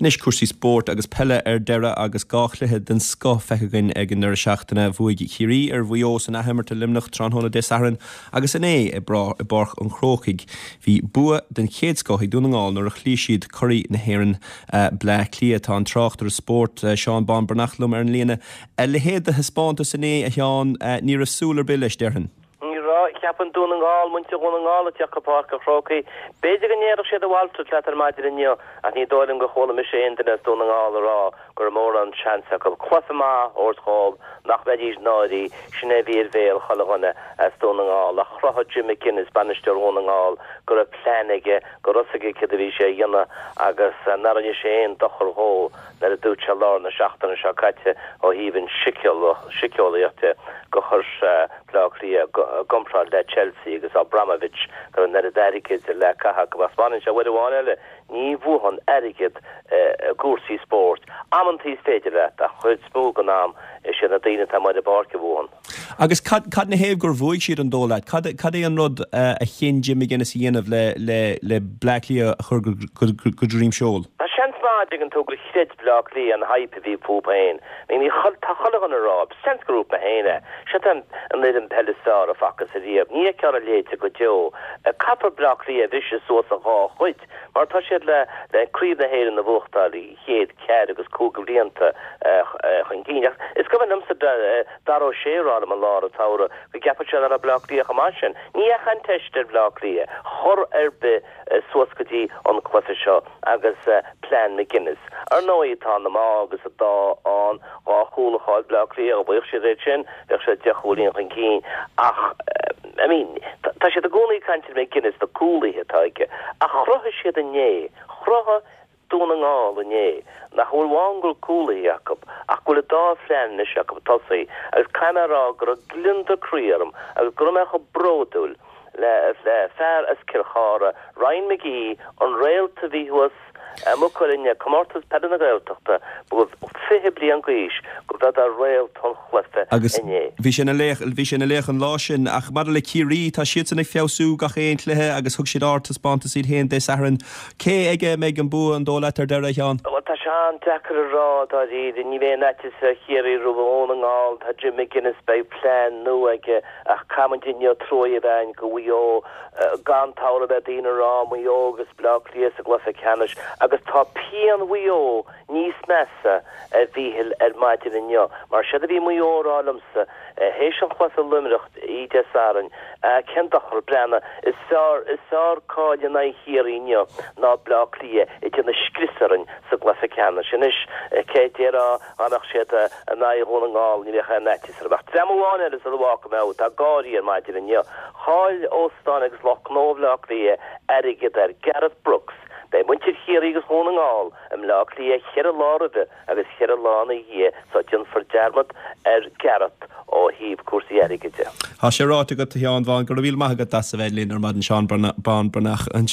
Anois cúrsaí spóirt agus peile ar deireadh agus 2 chluiche den scoth feicthe againn ag an deireadh seachtaine. Bhuaigh Ciarraí ar Mhaigh Eo san athimirt i Luimneach tráthnóna Dé Sathairn agus inné i bPáirc an Chrócaigh bhí bua den chéad scoth ag Dún na nGall nuair a chloígh siad curaidh na hÉireann Bleá Cliath. Tá an tráchtaire spóirt Seán Bán Breathnach liom ar an líne. A leithéid de thaispeántas inné, a Sheáin, ní raibh súil ar bith leis, déarfainn. Ní raibh. Cheapfainn Dún na nGall, muintir Dhún na nGall ag teacht go Páirc an Chrócaigh. B'fhéidir go ndéarfadh siad a mhalairt leat ar maidin inniu ach ní dóigh liom gur chuala mise aon duine as Dún na nGall a rá go raibh mórán seans acu cluiche maith a thabhairt dhóibh, nach mbeidís náirithe. Sin é a bhí ar bhéal chuile dhuine as Dún na nGall. Ach chruthaigh Jim McGuinness, bainisteoir Dhún na nGall, go raibh plean aige, go raibh fhios aige céard a bhí sé a dhéanamh agus nár rinne sé aon dochar dhó. nuair a dúirt sé lár na seachtaine seo caite ó thaobh an síceolaíocht de gur chuir sé Bleá Cliath i gcomparáid le Chelsea agus Abramovich go raibh an oiread airgid le caitheamh acu. Ach 'spáineann sé uair amháin eile, ní bhuann airgead i gcúrsaí spóirt. Amantaí is féidir leat ach chuid is mó den am is iad na daoine atá amuigh ar an bpáirc a bhuann. Agus cad, cad 'na thaobh gur bhuaigh siad an dóigh leat? Cad, cad é an rud a chinn Jim McGuinness a dhéanamh le, le, le Bleá Cliath a chur go, go, go droim seoil? Tá seans maith, an dtuigeann tú, gur chreid Bleá Cliath an hype a bhí fúthu féin. I mean, tá chuile dhuine ag rá, seans gur dhúirt mé féin é, seo an fhoireann peile is fearr a facthas ariamh. Ní fheicfear a leithéid go deo. Caithfear Bleá Cliath a bhriseadh suas i dhá chuid, mar tá siad le, le Craobh na hÉireann a bhuachtáil. chéad ceathair agus cúig bhlianta chun cinn. Ach is cuimhin liomsa Dara Ó Sé a rá liom i lár an tsamhraidh go gceapfadh sé nach raibh Bleá Cliath chomh maith sin. Ní dheachaigh an teist ar Bhleá Cliath chor ar bith suas go dtí an cluiche seo agus plean McGuinness. Ar ndóigh tá an t-ádh agus an t-ádh ann, dhá chúl a chaill Bleá Cliath, dá bhfaigheadh siad iad sin bheadh siad deich gcúilín chun cinn ach I mean tá siad i gcónaí ag caint ar McGuinness, na cúlaithe atá aige ach chruthaigh siad inné, chruthaigh Dún na nGall inné, nach bhfuil amháin go bhfuil cúlaithe acu ach go bhfuil an dá phlean anois acu ag tosaí agus caithfidh mé a rá go raibh gliondar croí orm agus go raibh mé chomh bródúil le fear as Cill Chartha, Ryan McGee, an réalt a bhí thuas i Maigh Cuilinn ag Comórtas Peile na Gaeltachta, ba 20 bliain d'aois, go mb'é réalt an chluiche Agus inné. bhí sé ina laoch, bhí sé ina laoch an lá sin. Ach maidir le Ciarraí, tá siadsan ag feabhsú gach aon chluiche agus thug siad ardtaispeántas iad féin Dé Sathairn. Cé aige a mbeidh an bua, an dóigh leat, ar deireadh, a Sheáin? Bhuel, tá sé an-deacair a rá, dáiríre. Ní bheidh aon fhaitíos ar Chiarraí roimh Dhún na nGall. Tá Jim McGuinness, beidh plean nua aige ach caithfidh muid inniu trua a bheith againn do Mhaigh Eo. Gan dabht beidh daoine ag rá Maigh Eo agus Bleá Cliath sa gcluiche ceannais agus tá pian Mhaigh Eo níos measa, a Mhíchíl, ar maidin inniu. Mar séard a bhí Maigh Eo a rá liomsa théis an chluiche i Luimneach oíche Dé Sathairn, cén dochar, breathnaigh, is fearr, is fearr cailleadh in aghaidh Chiarraí inniu ná Bleá Cliath ag déanamh scrios orainn sa gcluiche ceannais. Anois, cé a déarfá dá mbeadh siad in aghaidh Dhún na nGall ní bheadh aon fhaitíos orthu. Ach dream amháin eile sula bhfágfaidh mé thú, atá ag gáirí ar maidin inniu. Chaill óstáin agus lucht gnó Bhleá Cliath airgead ar Gareth Brooks. Beidh muintir Chiarraí agus Dhún na nGall i mBleá Cliath cheithre lá roimhe agus cheithre lá ina dhiaidh so déanfar dearmad ar Gareth ó thaobh cúrsaí airgid de. Tá sé ráite agat, a Sheáin Bháin. Go raibh míle maith agat as a bheith linn ar maidin, Seán Bán Breathnach ansin.